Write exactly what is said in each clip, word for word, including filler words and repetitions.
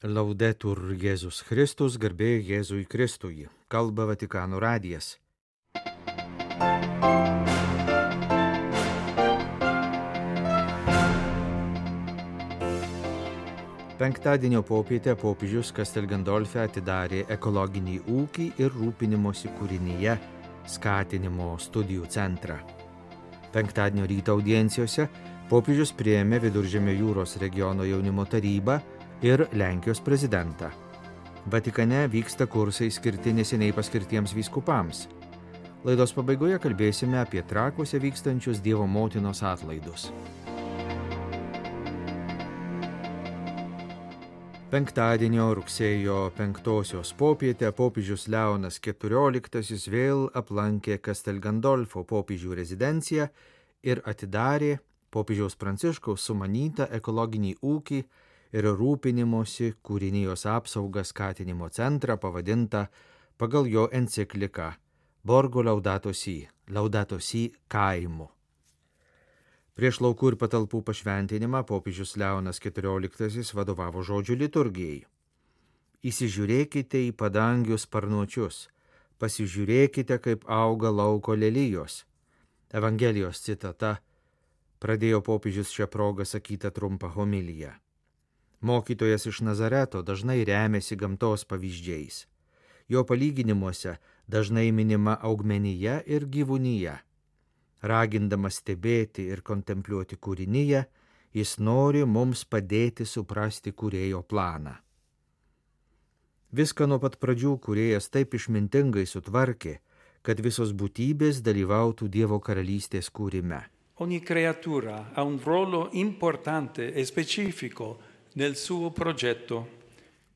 Laudetur Jėzus Kristus, garbė Jėzui Kristui. Kalba Vatikano radijas. Penktadienio popietę popiežius Castel Gandolfe atidarė ekologinį ūkį ir rūpinimosi kūrinyje skatinimo studijų centrą. Penktadienio ryto audiencijose popiežius priėmė Viduržemio jūros regiono jaunimo tarybą ir Lenkijos prezidentą. Vatikane vyksta kursai skirti neseniai paskirtiems vyskupams. Laidos pabaigoje kalbėsime apie Trakuose vykstančius Dievo motinos atlaidus. Penktadienio rugsėjo penktosios popietę popiežius Leonas keturioliktasis vėl aplankė Castel Gandolfo popiežių rezidenciją ir atidarė popiežiaus Pranciškaus sumanytą ekologinį ūkį ir rūpinimosi kūrinijos apsaugą skatinimo centrą pavadintą pagal jo encikliką Borgo Laudato Si, Laudato Si kaimu. Prieš laukų ir patalpų pašventinimą popiežius Leonas keturioliktasis vadovavo žodžių liturgijai. Įsižiūrėkite į padangių sparnuočius, pasižiūrėkite, kaip auga lauko lelijos. Evangelijos citata pradėjo popiežius šią progą sakytą trumpą homiliją. Mokytojas iš Nazareto dažnai remiasi gamtos pavyzdžiais. Jo palyginimuose dažnai minima augmenija ir gyvūnija. Ragindamas stebėti ir kontempliuoti kūrinyje, jis nori mums padėti suprasti kūrėjo planą. Viską nuo pat pradžių kūrėjas taip išmintingai sutvarkė, kad visos būtybės dalyvautų Dievo karalystės kūrime. Ogni creatura ha un ruolo importante e specifico nel suo progetto.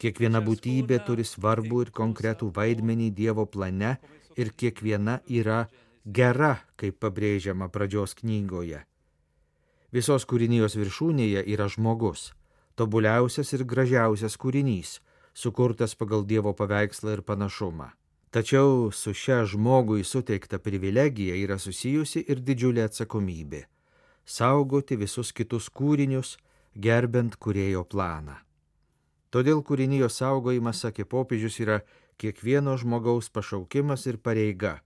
Kiekviena būtybė turi svarbų ir konkretų vaidmenį Dievo plane ir kiekviena yra gera, kaip pabrėžiama pradžios knygoje. Visos kūrinijos viršūnėje yra žmogus, tobuliausias ir gražiausias kūrinys, sukurtas pagal Dievo paveikslą ir panašumą. Tačiau su šia žmogui suteikta privilegija yra susijusi ir didžiulė atsakomybė – saugoti visus kitus kūrinius, gerbent kūrėjo planą. Todėl kūrinijos saugojimas, sakė popiežius, yra kiekvieno žmogaus pašaukimas ir pareiga,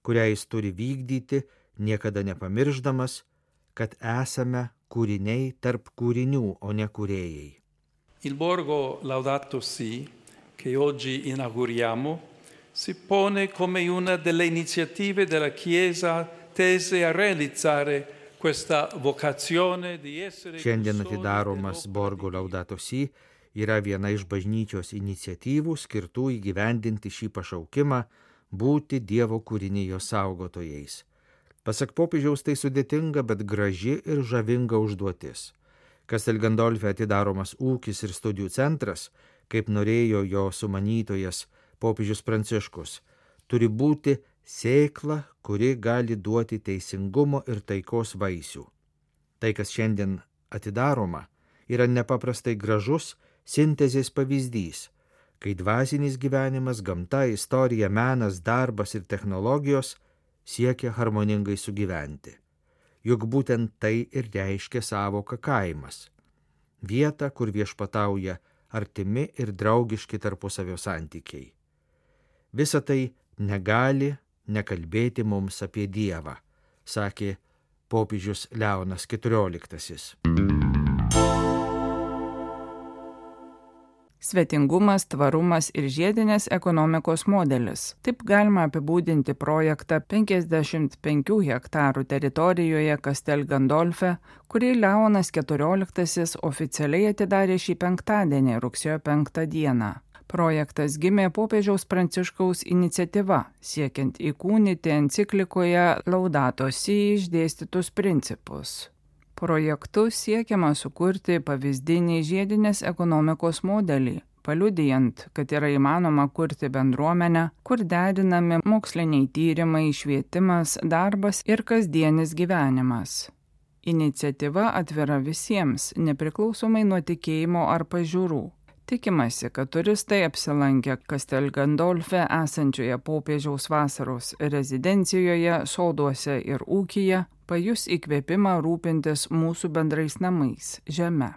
kurią jis turi vykdyti, niekada nepamirždamas, kad esame kūriniai tarp kūrinių, o ne kūrėjai. Il Borgo Laudato Si, che oggi inauguriamo, si pone come una delle iniziative della Chiesa tese a realizzare questa vocazione di essere. Šiandien atidaromas Borgo Laudato Si yra viena iš bažnyčios iniciatyvų skirtų įgyvendinti šį pašaukimą būti Dievo kūrinijos saugotojais. Pasak popiežiaus tai sudėtinga, bet graži ir žavinga užduotis. Castel Gandolfe atidaromas ūkis ir studijų centras, kaip norėjo jo sumanytojas popiežius Pranciškus, turi būti sėkla, kuri gali duoti teisingumo ir taikos vaisių. Tai, kas šiandien atidaroma, yra nepaprastai gražus sintezės pavyzdys, kai dvasinis gyvenimas, gamta, istorija, menas, darbas ir technologijos siekia harmoningai sugyventi. Juk būtent tai ir reiškia sąvoka kaimas. Vieta, kur viešpatauja artimi ir draugiški tarpusavio santykiai. Visa tai negali nekalbėti mums apie Dievą, sakė popiežius Leonas keturioliktasis. Svetingumas, tvarumas ir žiedinės ekonomikos modelis. Taip galima apibūdinti projektą penkiasdešimt penkių hektarų teritorijoje Castel Gandolfe, kurį Leonas keturioliktasis oficialiai atidarė šį penktadienį, rugsėjo penktą dieną. Projektas gimė popiežiaus Pranciškaus iniciatyva, siekiant įkūnyti enciklikoje Laudato Si išdėstytus principus. Projektu siekiama sukurti pavyzdinį žiedinės ekonomikos modelį, paliudijant, kad yra įmanoma kurti bendruomenę, kur derinami moksliniai tyrimai, švietimas, darbas ir kasdienis gyvenimas. Iniciatyva atvira visiems, nepriklausomai nuo tikėjimo ar pažiūrų. Tikimasi, kad turistai apsilankę Castel Gandolfe esančioje popiežiaus vasaros rezidencijoje, soduose ir ūkyje pajus įkvėpimą rūpintis mūsų bendrais namais, žeme.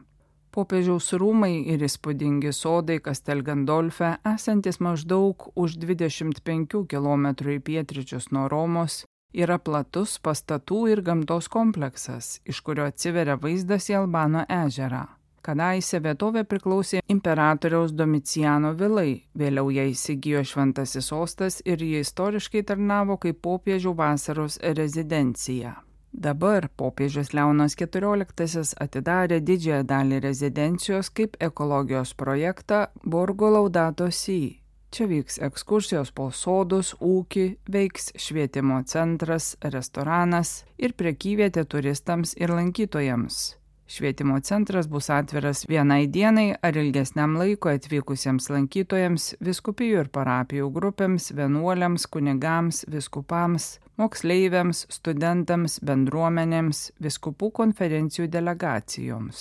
Popiežiaus rūmai ir įspūdingi sodai Castel Gandolfe, esantis maždaug už dvidešimt penkių kilometrų į pietryčius nuo Romos, yra platus pastatų ir gamtos kompleksas, iš kurio atsiveria vaizdas į Albano ežerą. Kadaise vietovė priklausė imperatoriaus Domiciano vilai, vėliau ją įsigijo Šventasis sostas ir ji istoriškai tarnavo kaip popiežių vasaros rezidencija. Dabar popiežius Leonas keturioliktasis atidarė didžiąją dalį rezidencijos kaip ekologijos projektą Borgo Laudato Si. Čia vyks ekskursijos po sodus, ūkį, veiks švietimo centras, restoranas ir prekyvietė turistams ir lankytojams. Švietimo centras bus atviras vienai dienai ar ilgesniam laiko atvykusiems lankytojams, vyskupijų ir parapijų grupėms, vienuoliams, kunigams, vyskupams, moksleiviams, studentams, bendruomenėms, vyskupų konferencijų delegacijoms.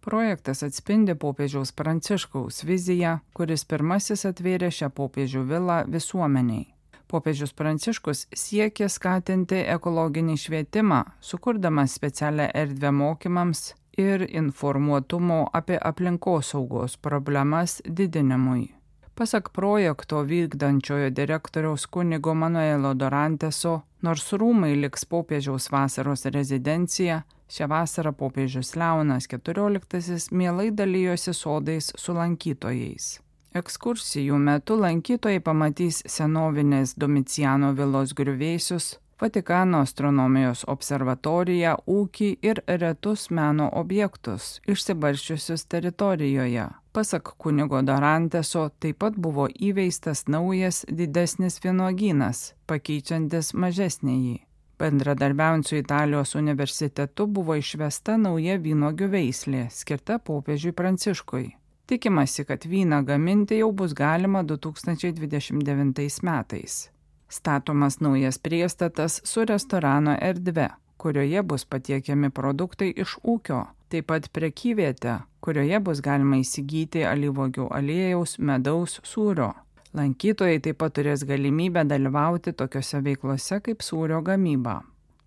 Projektas atspindi popiežiaus Pranciškaus viziją, kuris pirmasis atvėrė šią popiežių vilą visuomeniai. Popiežius Pranciškus siekė skatinti ekologinį švietimą, sukurdamas specialią erdvę mokymams ir informuotumo apie aplinkosaugos problemas didinimui. Pasak projekto vykdančiojo direktoriaus kunigo Manuelo Doranteso, nors rūmai liks popiežiaus vasaros rezidencija, šią vasarą popiežius Leonas keturioliktasis mielai dalijosi sodais su lankytojais. Ekskursijų metu lankytojai pamatys senovinės Domiciano vilos griuvėsius, Vatikano astronomijos observatoriją, ūkį ir retus meno objektus, išsibarsčiusius teritorijoje. Pasak kunigo Doranteso, taip pat buvo įveistas naujas didesnis vynuogynas, pakeičiantis mažesnįjį. Bendradarbiaujant su Italijos universitetu buvo išvesta nauja vynuogių veislė, skirta popiežiui Pranciškui. Tikimasi, kad vyną gaminti jau bus galima du tūkstančiai dvidešimt devintais metais. Statomas naujas priestatas su restorano erdve, kurioje bus patiekiami produktai iš ūkio, taip pat prekyvietė, kurioje bus galima įsigyti alyvuogių aliejaus, medaus, sūrio. Lankytojai taip pat turės galimybę dalyvauti tokiose veiklose kaip sūrio gamyba.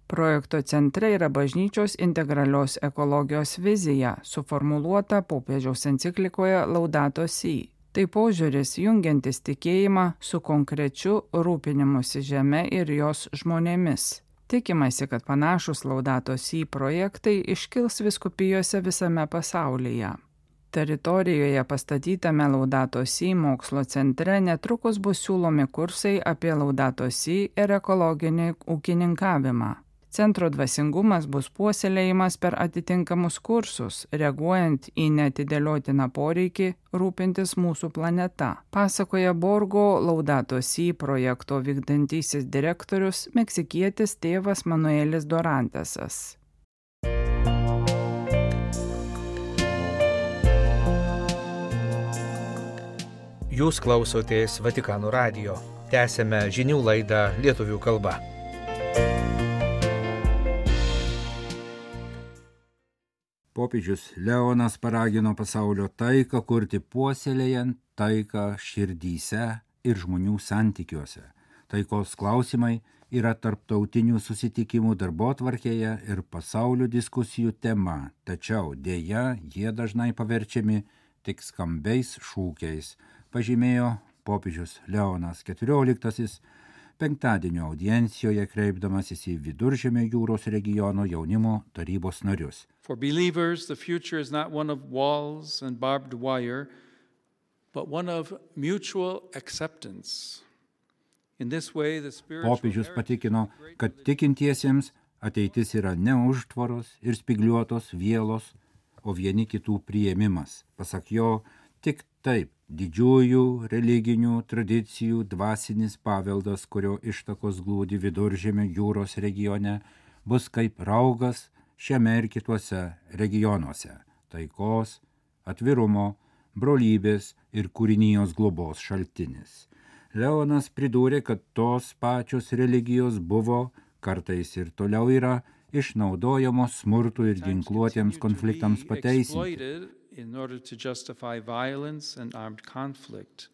Projekto centre yra bažnyčios integralios ekologijos vizija, suformuluota popiežiaus enciklikoje Laudato Si. Tai požiūris jungiantis tikėjimą su konkrečiu rūpinimusi žeme ir jos žmonėmis. Tikimasi, kad panašus Laudato Si projektai iškils vyskupijose visame pasaulyje. Teritorijoje pastatytame Laudato Si mokslo centre netrukus bus siūlomi kursai apie Laudato Si ir ekologinį ūkininkavimą. Centro dvasingumas bus puoselėjimas per atitinkamus kursus, reaguojant į neatidėliotiną poreikį rūpintis mūsų planeta, pasakoja Borgo Laudato Si projekto vykdantysis direktorius meksikietis tėvas Manuelis Dorantesas. Jūs klausotės Vatikano radijo. Tęsėme žinių laidą lietuvių kalba. Popiežius Leonas paragino pasaulio taiką kurti puoselėjant taiką širdyse ir žmonių santykiuose. Taikos klausimai yra tarptautinių susitikimų darbotvarkėje ir pasaulio diskusijų tema, tačiau dėja jie dažnai paverčiami tik skambiais šūkiais, pažymėjo popiežius Leonas keturioliktasis penktadienio audiencijoje kreipdamasis į Viduržemio jūros regiono jaunimo tarybos narius. For believers, the future is not one of walls and barbed wire, but one of mutual acceptance. In this way, the spiritual Popiežius patikino, kad tikintiesiems ateitis yra ne užtvaros ir spigliuotos vielos, o vieni kitų priėmimas. Pasak jo, tik taip didžiųjų religinių tradicijų dvasinis paveldas, kurio ištakos glūdi Viduržemio jūros regione, bus kaip raugas šiame ir kituose regionuose – taikos, atvirumo, brolybės ir kūrinijos globos šaltinis. Leonas pridūrė, kad tos pačios religijos buvo, kartais ir toliau yra, išnaudojamos smurtų ir ginkluotiems konfliktams pateisinti. In order to justify violence and armed conflict.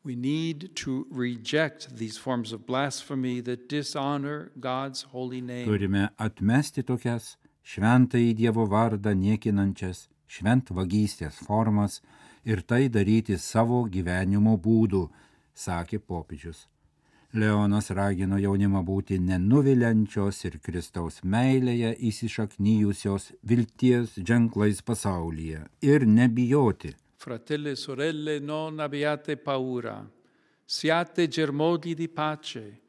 We need to reject these forms of blasphemy that dishonor God's holy name. Turime atmesti tokias šventąjį Dievo vardą niekinančias šventvagystės formas ir tai daryti savo gyvenimo būdu, sakė popiežius. Leonas ragino jaunimą būti nenuviliančios ir Kristaus meilėje įsišaknyjusios vilties ženklais pasaulyje ir nebijoti. Fratelli e sorelle, non abbiate paura, siate germogli di pace.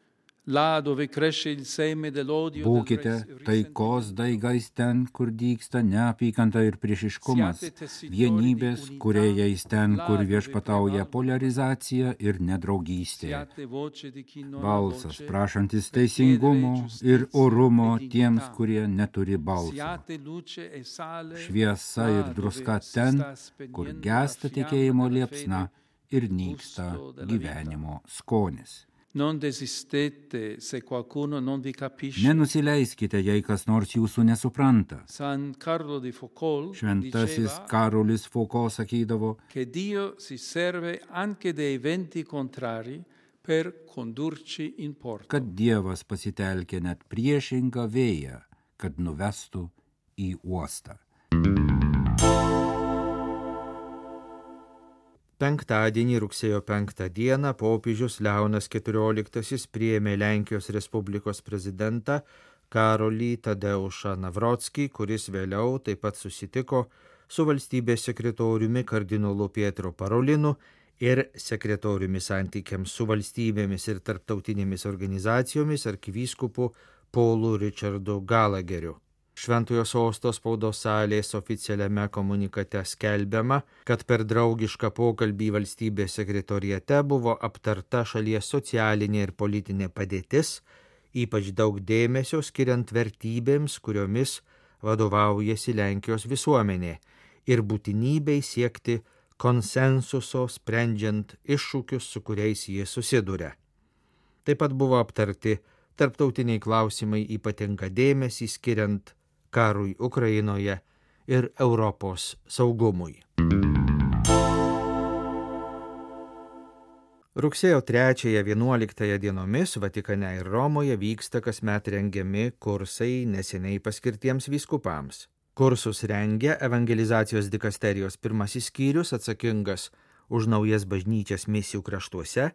Būkite taikos daigais ten, kur dygsta neapykanta ir priešiškumas, vienybės kūrėjais ten, kur viešpatauja polarizacija ir nedraugystė. Balsas prašantis teisingumo ir orumo tiems, kurie neturi balso. Šviesa ir druska ten, kur gęsta tikėjimo liepsna ir nyksta gyvenimo skonis. Non desistete se qualcuno non vi capisce. Nenusileiskite, jei kas nors jūsų nesupranta. San Carlo di Foucault Šventasis Karolis Foucault sakydavo, che Dio si serve anche dei venti contrari per condurci in porto. Kad Dievas pasitelkė net priešingą vėją, kad nuvestų į uostą. Penktadienį, rugsėjo penktą dieną, popiežius Leonas keturioliktasis priėmė Lenkijos Respublikos prezidentą Karolį Tadeušą Navrockį, kuris vėliau taip pat susitiko su valstybės sekretoriumi kardinolu Pietro Parolinu ir sekretoriumi santykiams su valstybėmis ir tarptautinėmis organizacijomis arkivyskupu Paulu Richardu Galageriu. Šventojo sosto spaudos salės oficialiame komunikate skelbiama, kad per draugišką pokalbį valstybės sekretoriate buvo aptarta šalies socialinė ir politinė padėtis, ypač daug dėmesio skiriant vertybėms, kuriomis vadovaujasi Lenkijos visuomenė, ir būtinybei siekti konsensuso sprendžiant iššūkius, su kuriais jie susiduria. Taip pat buvo aptarti tarptautiniai klausimai, ypatingą dėmesį skiriant karui Ukrainoje ir Europos saugumui. Rugsėjo trečiąją vienuoliktąją dienomis Vatikane ir Romoje vyksta kasmet rengiami kursai neseniai paskirtiems vyskupams. Kursus rengia evangelizacijos dikasterijos pirmasis skyrius atsakingas už naujas bažnyčias misijų kraštuose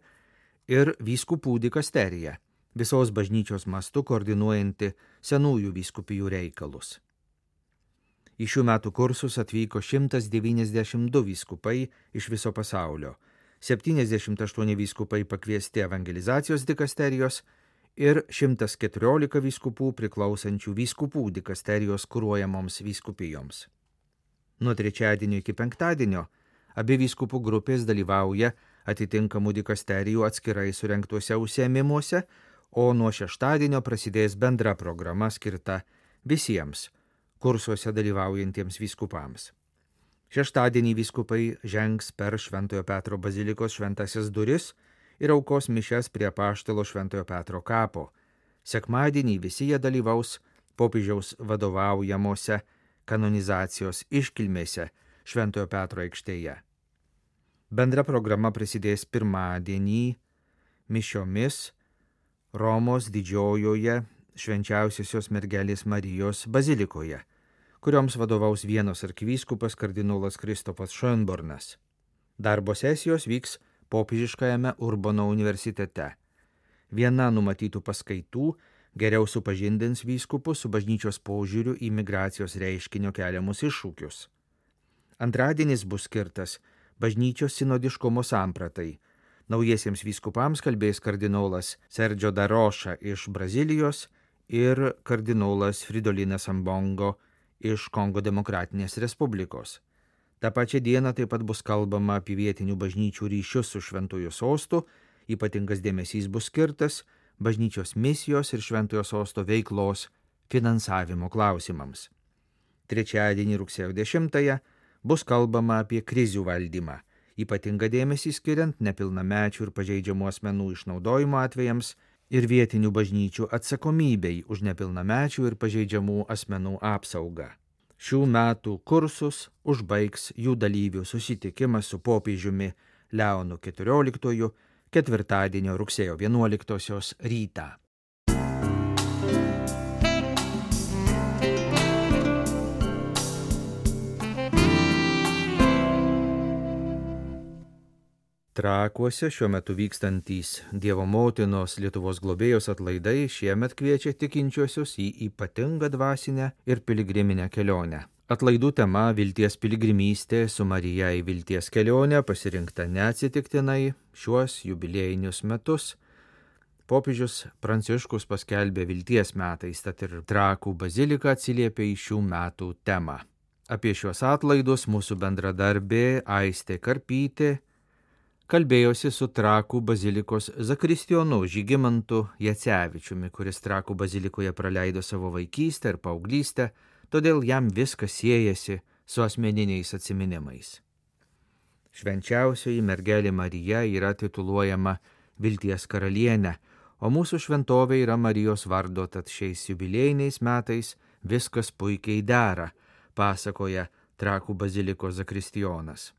ir vyskupų dikasterija, visos bažnyčios mastu koordinuojanti senųjų vyskupijų reikalus. Į šių metų kursus atvyko šimtas devyniasdešimt du vyskupai iš viso pasaulio, septyniasdešimt aštuoni vyskupai pakviesti evangelizacijos dikasterijos ir šimtas keturiolika vyskupų priklausančių vyskupų dikasterijos kuruojamoms vyskupijoms. Nuo trečiadienio iki penktadienio abi vyskupų grupės dalyvauja atitinkamų dikasterijų atskirai surengtuose užsiėmimuose, o nuo šeštadienio prasidės bendra programa skirta visiems kursuose dalyvaujantiems vyskupams. Šeštadienį vyskupai žengs per Šventojo Petro bazilikos šventasias duris ir aukos mišias prie apaštalo Šventojo Petro kapo. Sekmadienį visi jie dalyvaus popiežiaus vadovaujamose kanonizacijos iškilmėse Šventojo Petro aikštėje. Bendra programa prasidės pirmadienį mišiomis Romos didžiojoje švenčiausiosios mergelės Marijos bazilikoje, kurioms vadovaus Vienos arkivyskupas kardinolas Kristopas Schönbornas. Darbo sesijos vyks popiežiškajame Urbono universitete. Viena numatytų paskaitų geriau supažindins vyskupus su bažnyčios požiūriu į migracijos reiškinio keliamus iššūkius. Antradienis bus skirtas bažnyčios sinodiškumo sampratai. Naujiesiems vyskupams kalbės kardinolas Sergio Daroša iš Brazilijos ir kardinolas Fridolinas Ambongo iš Kongo Demokratinės Respublikos. Ta pačia diena taip pat bus kalbama apie vietinių bažnyčių ryšius su Šventojo sostu, ypatingas dėmesys bus skirtas bažnyčios misijos ir Šventojo sosto veiklos finansavimo klausimams. Trečiadienį rugsėjo dešimtąją bus kalbama apie krizių valdymą, ypatingą dėmesį skiriant nepilnamečių ir pažeidžiamų asmenų išnaudojimo atvejams ir vietinių bažnyčių atsakomybei už nepilnamečių ir pažeidžiamų asmenų apsaugą. Šių metų kursus užbaigs jų dalyvių susitikimas su popiežiumi Leonu keturioliktuoju ketvirtadienio rugsėjo vienuoliktosios rytą. Trakuose šiuo metu vykstantys Dievo motinos Lietuvos globėjos atlaidai šiemet kviečia tikinčiuosius į ypatingą dvasinę ir piligriminę kelionę. Atlaidų tema Vilties piligrimystė su Marija į Vilties kelionę pasirinkta neatsitiktinai šiuos jubiliejinius metus. Popiežius Pranciškus paskelbė Vilties metais, tad ir Trakų bazilika atsiliepė į šių metų temą. Apie šiuos atlaidus mūsų bendradarbė Aistė Karpytė kalbėjosi su Trakų bazilikos zakristijonu Žygimantu Jacevičiumi, kuris Trakų bazilikoje praleido savo vaikystę ir paauglystę, todėl jam viskas siejasi su asmeniniais atsiminimais. Švenčiausioji mergelė Marija yra tituluojama Vilties karalienė, o mūsų šventovė yra Marijos vardo, tad šiais jubiliejiniais metais viskas puikiai dera, pasakoja Trakų bazilikos zakristijonas.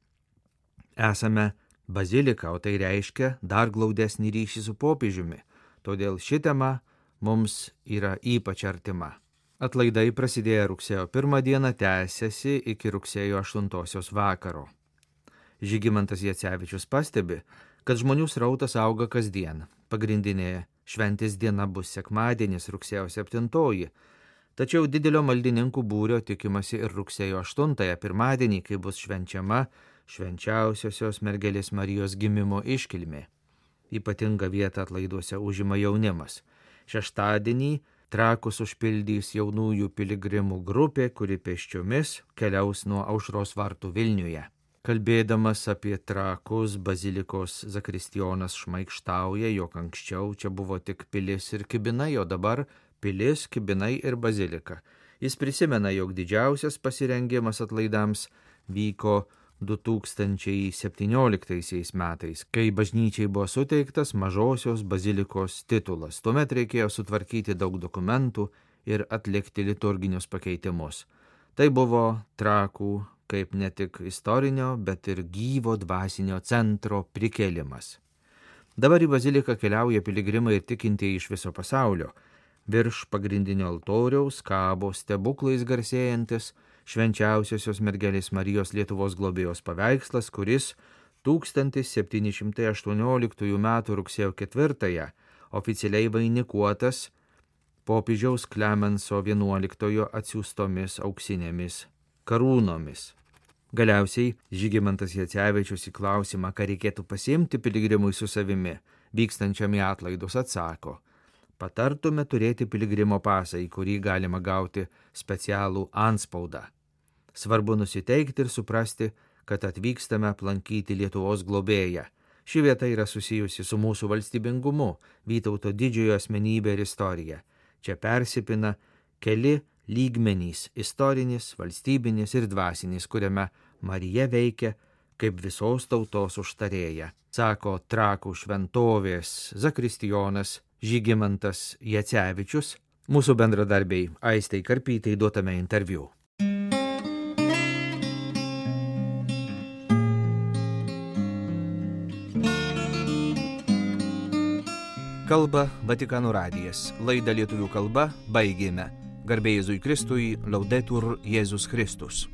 Esame bazilika, o tai reiškia dar glaudesnį ryšį su popiežiumi, todėl ši tema mums yra ypač artima. Atlaidai prasidėjo rugsėjo pirmą dieną, tęsiasi iki rugsėjo aštuntosios vakaro. Žygimantas Jacevičius pastebi, kad žmonių srautas auga kasdien. Pagrindinė šventės diena bus sekmadienis, rugsėjo septintoji, tačiau didelio maldininkų būrio tikimasi ir rugsėjo aštuntąją, pirmadienį, kai bus švenčiama švenčiausiosios mergelės Marijos gimimo iškilmė. Ypatingą vietą atlaiduose užima jaunimas. Šeštadienį Trakus užpildys jaunųjų piligrimų grupė, kuri pėsčiomis keliaus nuo Aušros vartų Vilniuje. Kalbėdamas apie Trakus, bazilikos zakristijonas šmaikštauja, jog anksčiau čia buvo tik pilis ir kibinai, o dabar pilis, kibinai ir bazilika. Jis prisimena, jog didžiausias pasirengimas atlaidams vyko du tūkstančiai septynioliktaisiais metais, kai bažnyčiai buvo suteiktas mažosios bazilikos titulas. Tuomet reikėjo sutvarkyti daug dokumentų ir atlikti liturginius pakeitimus. Tai buvo Trakų kaip ne tik istorinio, bet ir gyvo dvasinio centro prikėlimas. Dabar į baziliką keliauja piligrimai ir tikintieji iš viso pasaulio. Virš pagrindinio altoriaus kabo stebuklais garsėjantis švenčiausiosios mergelės Marijos Lietuvos globėjos paveikslas, kuris tūkstantis septyni šimtai aštuonioliktųjų metų rugsėjo ketvirtąją oficialiai vainikuotas popiežiaus Klemenso vienuoliktojo atsiųstomis auksinėmis karūnomis. Galiausiai Žygimantas Jacevičius į klausimą, ką reikėtų pasiimti piligrimui su savimi, vykstančiam į atlaidus, atsako: patartume turėti piligrimo pasą, į kurį galima gauti specialų antspaudą. Svarbu nusiteikti ir suprasti, kad atvykstame aplankyti Lietuvos globėją. Ši vieta yra susijusi su mūsų valstybingumu, Vytauto didžiojo asmenybė ir istorija. Čia persipina keli lygmenys – istorinis, valstybinis ir dvasinis, kuriame Marija veikia kaip visos tautos užtarėja, sako Trakų šventovės zakristijonas Žygimantas Jacevičius, mūsų bendradarbiai Aistei Karpytei duotame interviu. Kalba Vatikano radijas. Laidą lietuvių kalba baigėme. Garbė Jėzui Kristui, Laudetur Jėzus Kristus.